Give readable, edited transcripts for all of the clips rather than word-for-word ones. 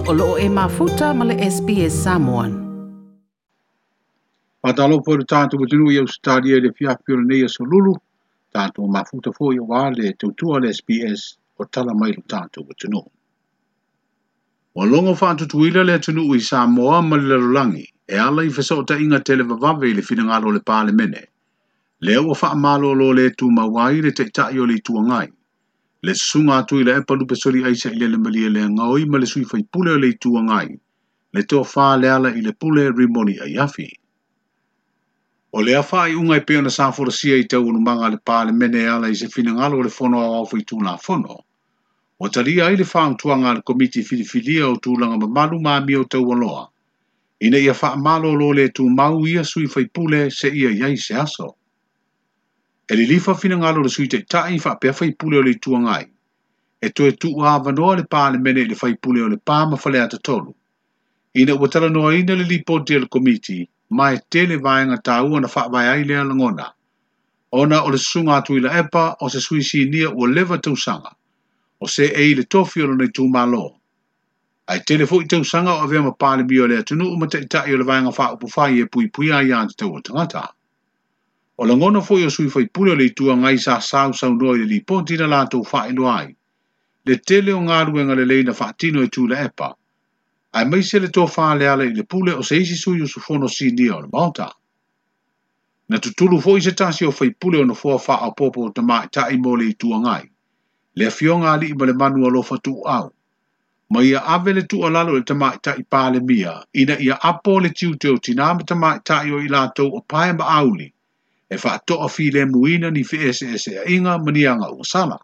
O lo o e mafuta ma le SBS Samoan. Faatalofa i le tatou atunuu i Ausetalia i le afiafi o lenei aso Lulu, tatou mafuta foi aua le tautua a le SBS o tala mai lo tatou atunuu. Ua logo faatutuila le atunuu i Samoa ma le lalolagi e ala i fesootaiga televavave i le finagalo o le Palemene. Lea ua faamalolo le tumau ai le Taitai o le Itu Agai, le Susuga a Tuilaepa Lupesoli Sailele Malielegaoi ma le sui faipule o le Itu Agai, le Tofa Lealailepule Rimoni Aiafi. O lea faaiuga e pei ona sa folasia i taualumaga a le Palemene e ala i se finagalo o le Fono Aoao Faitulafono, ua talia ai le fautuaga a le Komiti Filifilia o Tulaga Mamalu ma Amio Taualoa, ina ia faamalolo le tumau ia sui faipule seia i ai se aso. E lilifa finagalo o le Sui Taitai faapea faipule o le Itu Agai, e toe tuuavanoa le Palemene i le faipule o Lepa ma Faleata 3, ina ua talanoaina le lipoti a le Komiti ma e tele vaega taua na faavae ai lea lagona, ona o le susuga a Tuilaepa o se sui sinia ua leva tausaga, o seei i le tofi o lona itumalo, ae tele foi tausaga o avea ma Palemia o le atunuu ma Taitai o le Vaega Faaupufai e puipuia aiā tatau a tagata. O lagona foi o sui faipule o le Itu Agai sa sausaunoa i le lipoti na latou faailoa ai, le tele o galuega lelei na faatino e Tuilaepa, aemaise le tofa Lealailepule o se isi sui usufono sinia o le Maota. Na tutulu foi se tasi o faipule o nofoa faaopoopo o tamaitai mo le Itu Agai, le afioga Aliimalemanu Alofa Tuuau, ma ia ave le tuualalo i le tamaitai Palemia ina ia apo le tiute o tinā ma tamaitai o i latou o pae ma auli, e faatoafilemuina ni feeseeseaiga ma ni aga ua sala.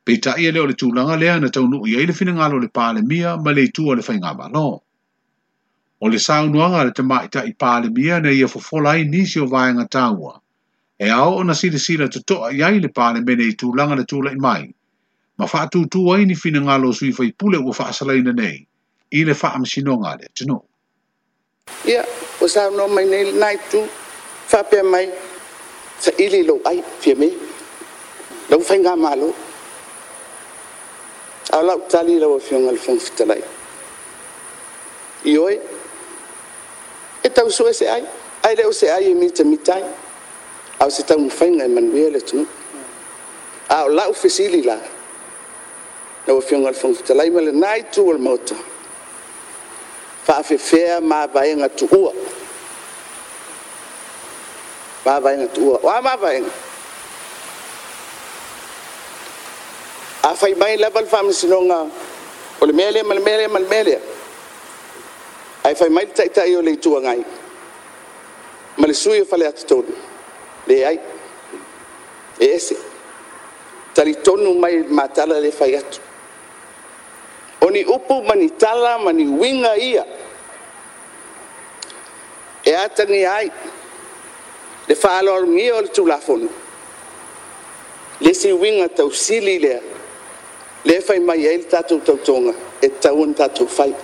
Peitai e le o le tulaga lea na taunuu i ai le finagalo o le Palemia ma le itu a le Faigamalo. O le saunoaga a le tamaitai Palemia na ia fofola ai nisi o vaega taua, e ao ona silasila totoa i ai le Palemene i tulaga na tulai mai, ma faatūtū ai ni finagalo o sui faipule ua faasalaina nei i le faamasinoga a le atunuu. Ia, ua saunoa mai nei lena itu, faapea mai, saili lou ai, Fiame, lau faigamalo. A o lau tali lau Afioga i le Fofoga Fetalai, ioe, e tau sue se ai, ae le o se ai e mitamita ai, a o se taumafaiga e manuia le atunuu. A o lau fesili la, lau Afioga i le Fofoga Fetalai ma lena itu o le Maota, faafefea mavaega tuua, mavaega tuua. O a mavaega? A fai mai lava le Faamasinoga o le mea lea ma le mea lea ma le mea lea, ae fai mai le Taitai o le Itu Agai ma le sui usufono o Faleata 3, leai, e ese. Talitonu mai i le ma tala lea e fai atu. O ni upu ma ni tala ma ni uiga ia e atagia ai le faaaloalogia o le Tulafono, le isi uiga tausili lea, lea e fai mai ai le tatou tautoga e tatau ona tatou fai,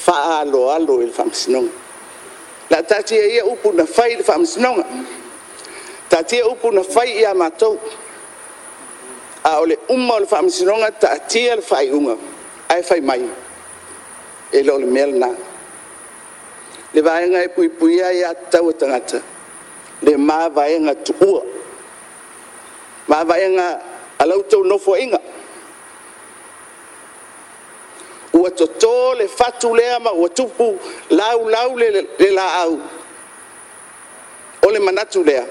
faaaloalo i le Faamasinoga. O le a taatia ia upu na fai i le Faamasinoga, taatia upu na fai ia matou, a o le uma o le Faamasinoga taatia le faaiuga, ae fai mai, e le o le mea lena. Le vaega e puipuia aia tatau a tagata, le mavaega tuua, mavaega a la outou Nofoaiga. Ua toto le fatu lea ma ua tupu laulau le laau, o le manatu lea,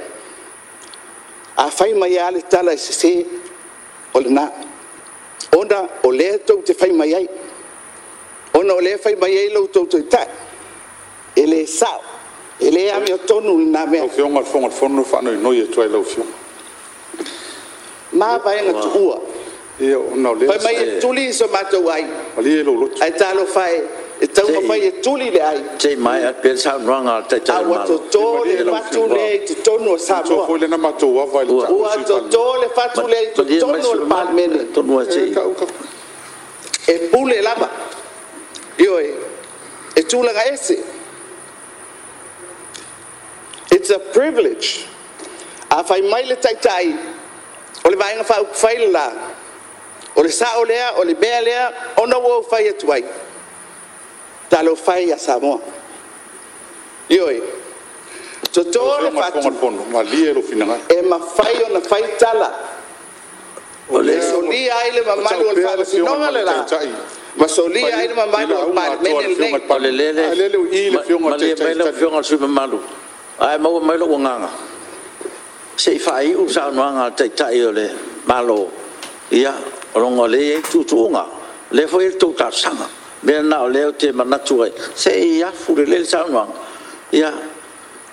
a fai mai lava le tala e sese, o lena. Ona o lea tou te fai mai ai, ona o lea e fai mai ai lo outou Taitai, e le sao, e le amiotonu lena mea. Lau Afioga i le Fofoga o le Fono e faanoinoi atu ai i lau Afioga. Mavaega tuua. Ia, ona o lea Fai mai e tuli so matou ai, Malie lou loto. ae talofa e, e taumafai e tuli le ai, Se i maea pea le saunoaga a le Taitai a o le ua Malo. toto le fatu lea i totonu o Manatua Samoa. foi lea na matou ava i le tau o Ua le Sui Palemia. toto le fatu lea i Malie mai totonu o sui le usufono mamalu. Palemene. Atonu lava se E i tau tau. E pule lava. Ioe, e tulaga ese. It's a privilege. A fai mai le Taitai o le Vaega Faaupufai le la, o le sao lea, o le mea lea, ona ua ou fai atu ai, Talofa e ia Samoa. Ioe, toto le faatu, Malie lou finagalo. E mafai ona fai tala e solia ai le mamalu o le Faamasinoga le la, ma solia ai le mamalu o le Palemene lenei. O le lele, malie mai lau Afioga i le sui usufono mamalu, a e maua mai lou agaga, se i faaiu le saunoaga a le Taitai o le Malo, ia, ona o lea e i ai tuutuuga, o lea foi e i ai le tou talosaga. O le mea lena o lea ou te manatu ai, se i afu lelei le saunoaga, ia,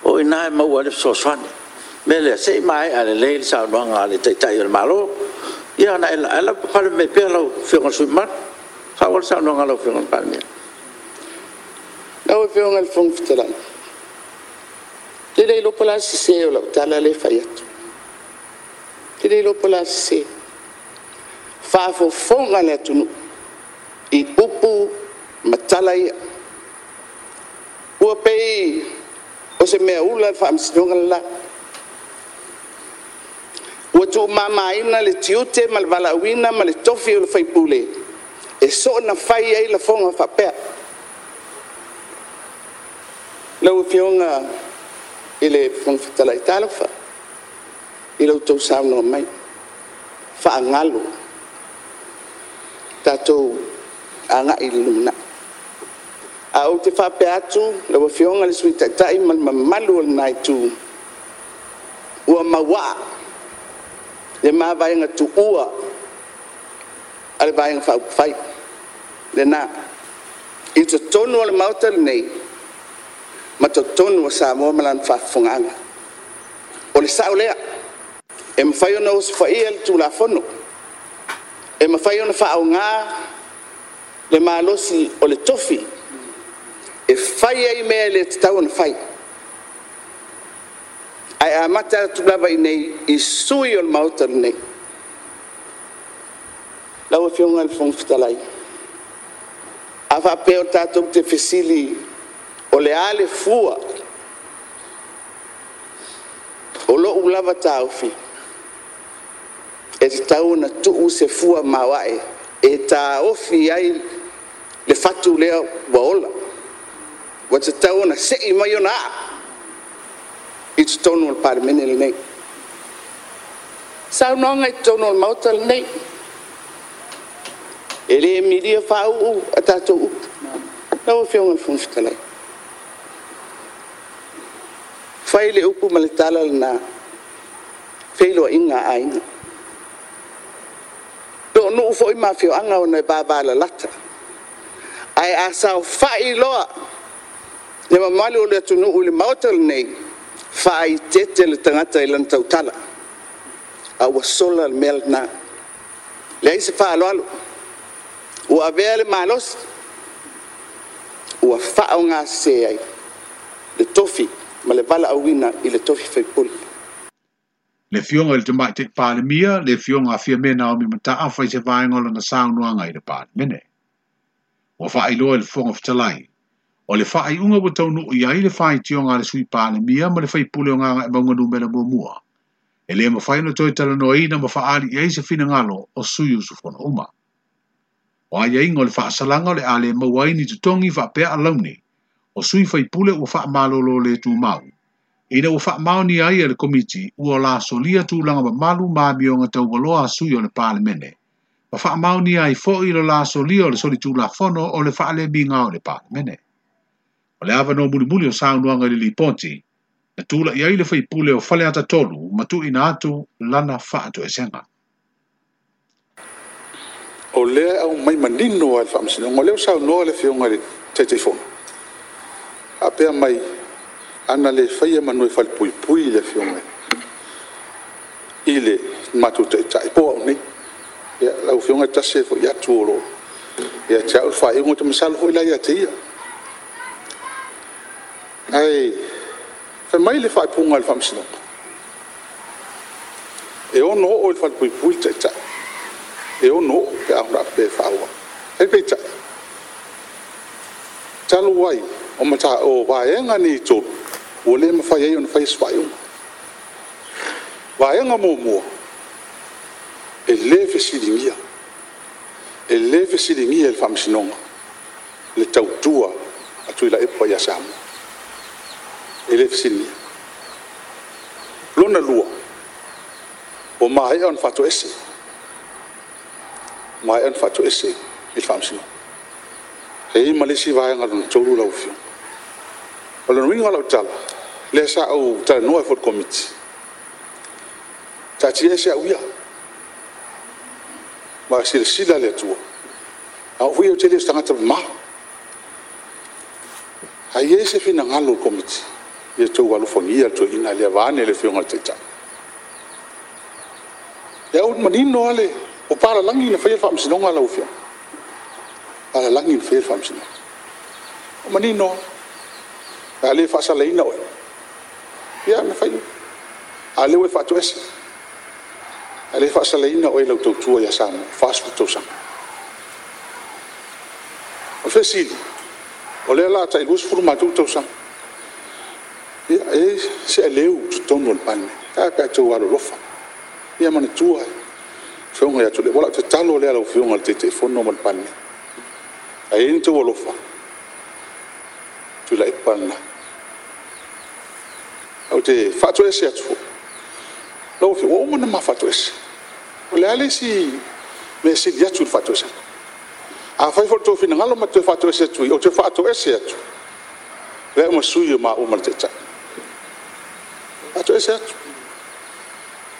o i ina e maua ai le fesoasoani. O le mea lea, se i maea lelei le saunoaga a le Taitai o le Malo, ae lavapapale mai pea lau Afioga i le sui usufono mamalu. Faaauau le saunoaga a lau Afioga i le Palemia. Lau Afioga i le Fofoga Fetalai, ou te le iloa po o le a le sese o lau tala lea e fai atu. Ou te le iloa po o le a le sese. Faafofoga le atunuu i upu ma tala ia. Ua pei o se meaula le Faamasinoga le la. Ua tuumamaina le tiute ma le valaauina ma le tofi o le faipule e soona fai ai lafoga faapea. Lau Afioga i le Fofoga Fetalai, talofa i lo outou saunoa mai, faagalo, tatou agai i le lumanai. Ae ou te faapea atu lau Afioga i le Sui Taitai ma le mamalu o lena Itu, ua mauaa le mavaega tuua a le Vaega Faaupufai lena i totonu o le Maota lenei ma totonu o Samoa ma lana faafofogaaga. O le sao lea, e mafai ona osofaia le Tulafono, e mafai ona faaaoga le malosi o le tofi e fai ai mea e le tatau ona fai, ae amata atu lava i inei i sui usufono o le Maota lenei. Lau Afioga i le Fofoga Fetalai, a faapea tatou te fesili o le a le fua o lou lava taofi, e tatau ona tuu se fua maoae e taofi ai le fatu lea ua ola, ua tatau ona sei mai ona aa i totonu o le Palemene lenei. Saunoaga i totonu o le Maota lenei, e le milia faauu a tatou upu. Lau Afioga i le Fofoga Fetalai, fai le upu ma le tala lena, feiloaiga a aiga. Po o nuu foi ma afioaga ona e vavalalata. Ae a saofai loa le mamalu o le atunuu i le Maota lenei, faaeteete le tagata i lana tautala, a ua sola le mea lena. Leai se faaaloalo, ua avea le malosi ua faaaoga sese ai le tofi ma le valaauina i le tofi faipule. Le Afioga i le Tamaitai Palemia, le Afioga a Fiame Naomi Mataafa i se vaega o lana saunoaga i le Palemene. Ua faailoa e le Fofoga Fetalai, o le faaiuga ua taunuu i ai le faitioga a le Sui Palemia ma le faipule o Gagaemauga Nu.1, e le mafai ona toe talanoaina ma faaali i ai se finagalo o sui usufono uma. O aiaiga o le faasalaga o le a le maua ai ni totogi faapea alauni o sui faipule ua faamalolo le tumau, ina ua faamaonia ai e le Komiti ua la solia tulaga mamalu ma amioga taualoa a sui o le Palemene, ma faamaonia ai foi le la solia o le solitulafono o le faalemiga o le Palemene. O le avanoa mulimuli o saunoaga i le lipoti, na tula'i ai le faipule o Faleata 3 ma tuuina atu lana faatoesega. O lea e aumai manino lava e le Faamasinoga. O lea ua saunoa le Afioga i le Taitaifono, faapea mai, ana le faia semeamanu e falepuipui le Afioga i le matou Taitai po o au nei. Ia, lau Afioga e tasi ae foi atu o lo o ia te au le faaiuga, ou te masalo foi o la e ia te ia. Ae fai mai le faaupuga a le Faamasinoga, e ono oo i le falepuipui le Taitai, e ono oo pe a faapea e faaauau. Ae peitai, talu ai o vaega nei e 3, ua le mafai ai ona faia se faaiuga. Vaega muamua, e le fesiligia e le Faamasinoga Le tautua a Tuilaepa ia Samoa. E le fesiligia. Lona lua, ua maea ona faatoese. Maea ona faatoese i le faamasinoga. E i ai ma le isi vaega lona tolu lau Afioga. O le uiga o lau tala, lea sa ou talanoa ai foi i le Komiti, taatia ese au ia. Ma silasila le Atua. A oo foi ou te le o se tagata mama. A i ai se finagalo o le Komiti, ia outou alofagia le toeaina lea vaeane le Afioga i le Taitai. Lea ua manino lava le... O papalagi na faia le faamasinoga lau Afioga. Palalagi na faia le faamasinoga. Ua manino lava. A le faasalaina oe, ia na fai. A lea ua e faatoese. A le faasalaina oe i lau tautua ia Samoa, 40 tausaga. O le fesili, o lea o le a tai 20 matou tausaga. Ia, e i ai se aleu i totonu o le Palemene. Ae a pe a outou alolofa. Ia manatua le Afioga ia Tuilaepa. O lau tatalo lea i lau Afioga i le Taitaifono ma le Palemene. A i ai ni outou alofa, Tuilaepa lena. Ou te faatoese atu foi, lau Afioga, ua uma ona ma faatoese. O le a le isi mea e sili atu i le faatoesega? Afai foi o le tou finagalo ma te toe faatoese atu i i, ou te faatoese atu, avea ma sui o maua ma le Taitai. Faatoese atu.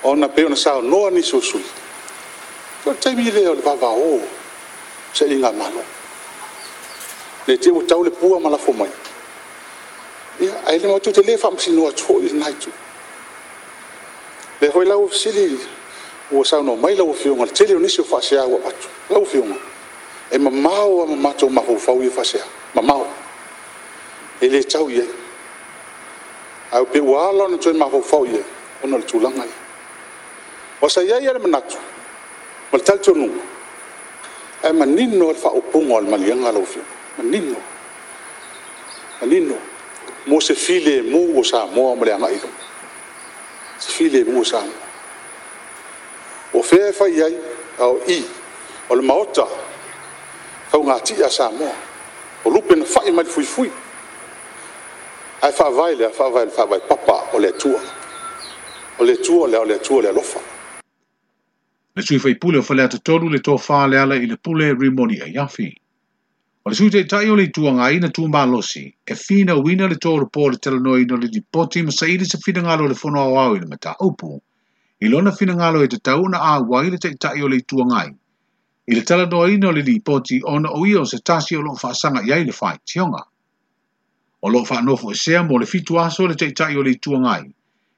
Ona e pei ona saunoa nisi o sui usufono, o le taimi lea o le vavao o sailigamalo. Ne i te i ua tau le pua ma lafo mai. Ia, ae matou te le faamasinoa atu foi i lena itu. Lea foi la ua fesili, ua saunoa mai lau Afioga i le tele o nisi o faasea ua avatu. Lau Afioga, e mamao lava ma matou mafaufau ia faasea. Mamao. E le tau i ai. Ae pei ua ala ona toe mafaufau i ai, ona o le tulaga lea. Aua sa i ai lava le manatu ma le talitonuga, ae manino lava le faaupuga o le maliega lau Afioga. Manino. Manino. Mo se filemu o Samoa ma le agai i luma. Se filemu o Samoa. O fea e fai ai, a o i, o le Maota faugatia a Samoa. O lupe na fai mai le fuifui. Ae faavae i le a? Faavae i le faavae papa o le Atua. O le Atua o le a? O le Atua o le alofa. Le sui faipule o Faleata 3 le tofa Lealailepule Rimoni Aiafi. O le Sui Taitai o le Itu Agai na tumalosi e finauina le tolopo o le talanoaina o le lipoti ma saili se finagalo o le Fono Aoao i le mataupu. I lona finagalo e tatau ona auai le Taitai o le Itu Agai i le talanoaina o le lipoti ona o ia o se tasi o lo o faasaga i ai le faitioga. O lo o faanofoesea mo le 7 aso le Taitai o le Itu Agai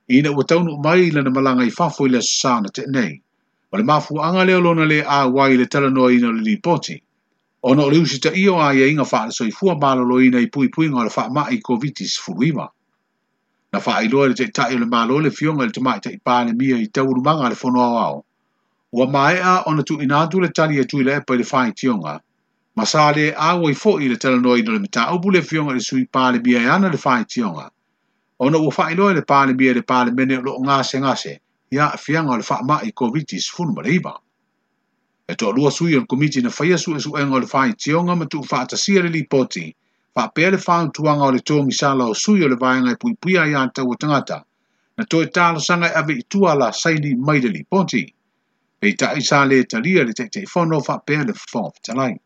ina ua taunuu mai i lana malaga i fafo i le Aso Sa na tea nei. O le mafuaaga lea o lona le auai i le talanoaina o le lipoti, ona o le usitaia o aiaiga faale-soifua maloloina i puipuiga o le faamai Koviti-19. Na faailoa e le Taitai o le Malo le Afioga i le Tamaitai Palemia i taualumaga a le Fono Aoao, ua maea ona tuuina atu le tali a Tuilaepa i le faitioga, ma sa le auai foi i le talanoaina o le mataupu le Afioga i le Sui Palemia e ana le faitioga, ona ua faailoa e le Palemia i le Palemene o lo o gasegase i aafiaga o le faamai Koviti-19. E toalua sui o le Komiti na faia suesuega o le faitioga ma tuufaatasia le lipoti, faapea le fautuaga o le togisala o sui o le vaega e puipuia ai aiatatau a tagata, na toe talosaga e ave i tua la saini mai le lipoti. Peitai sa le talia le Taitaifono faapea le Fofoga Fetalai.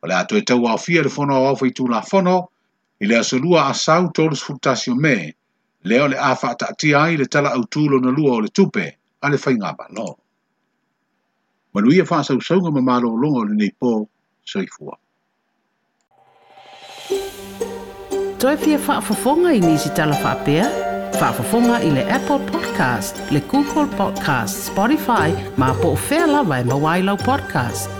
O le a toe tauaofia le Fono Aoao Faitulafono i le aso 2 Asau 31 o Me, lea o le a faataatia ai le Tala Autu lona lua o le Tupe a le Faigamalo. Manuia faasausauga ma malologa o lenei po, soifua. Toe fia faafofoga i nisi tala faapea? Faafofoga i le Apple Podcast, le Google Podcast, Spotify, ma po o fea lava e maua ai lau podcast.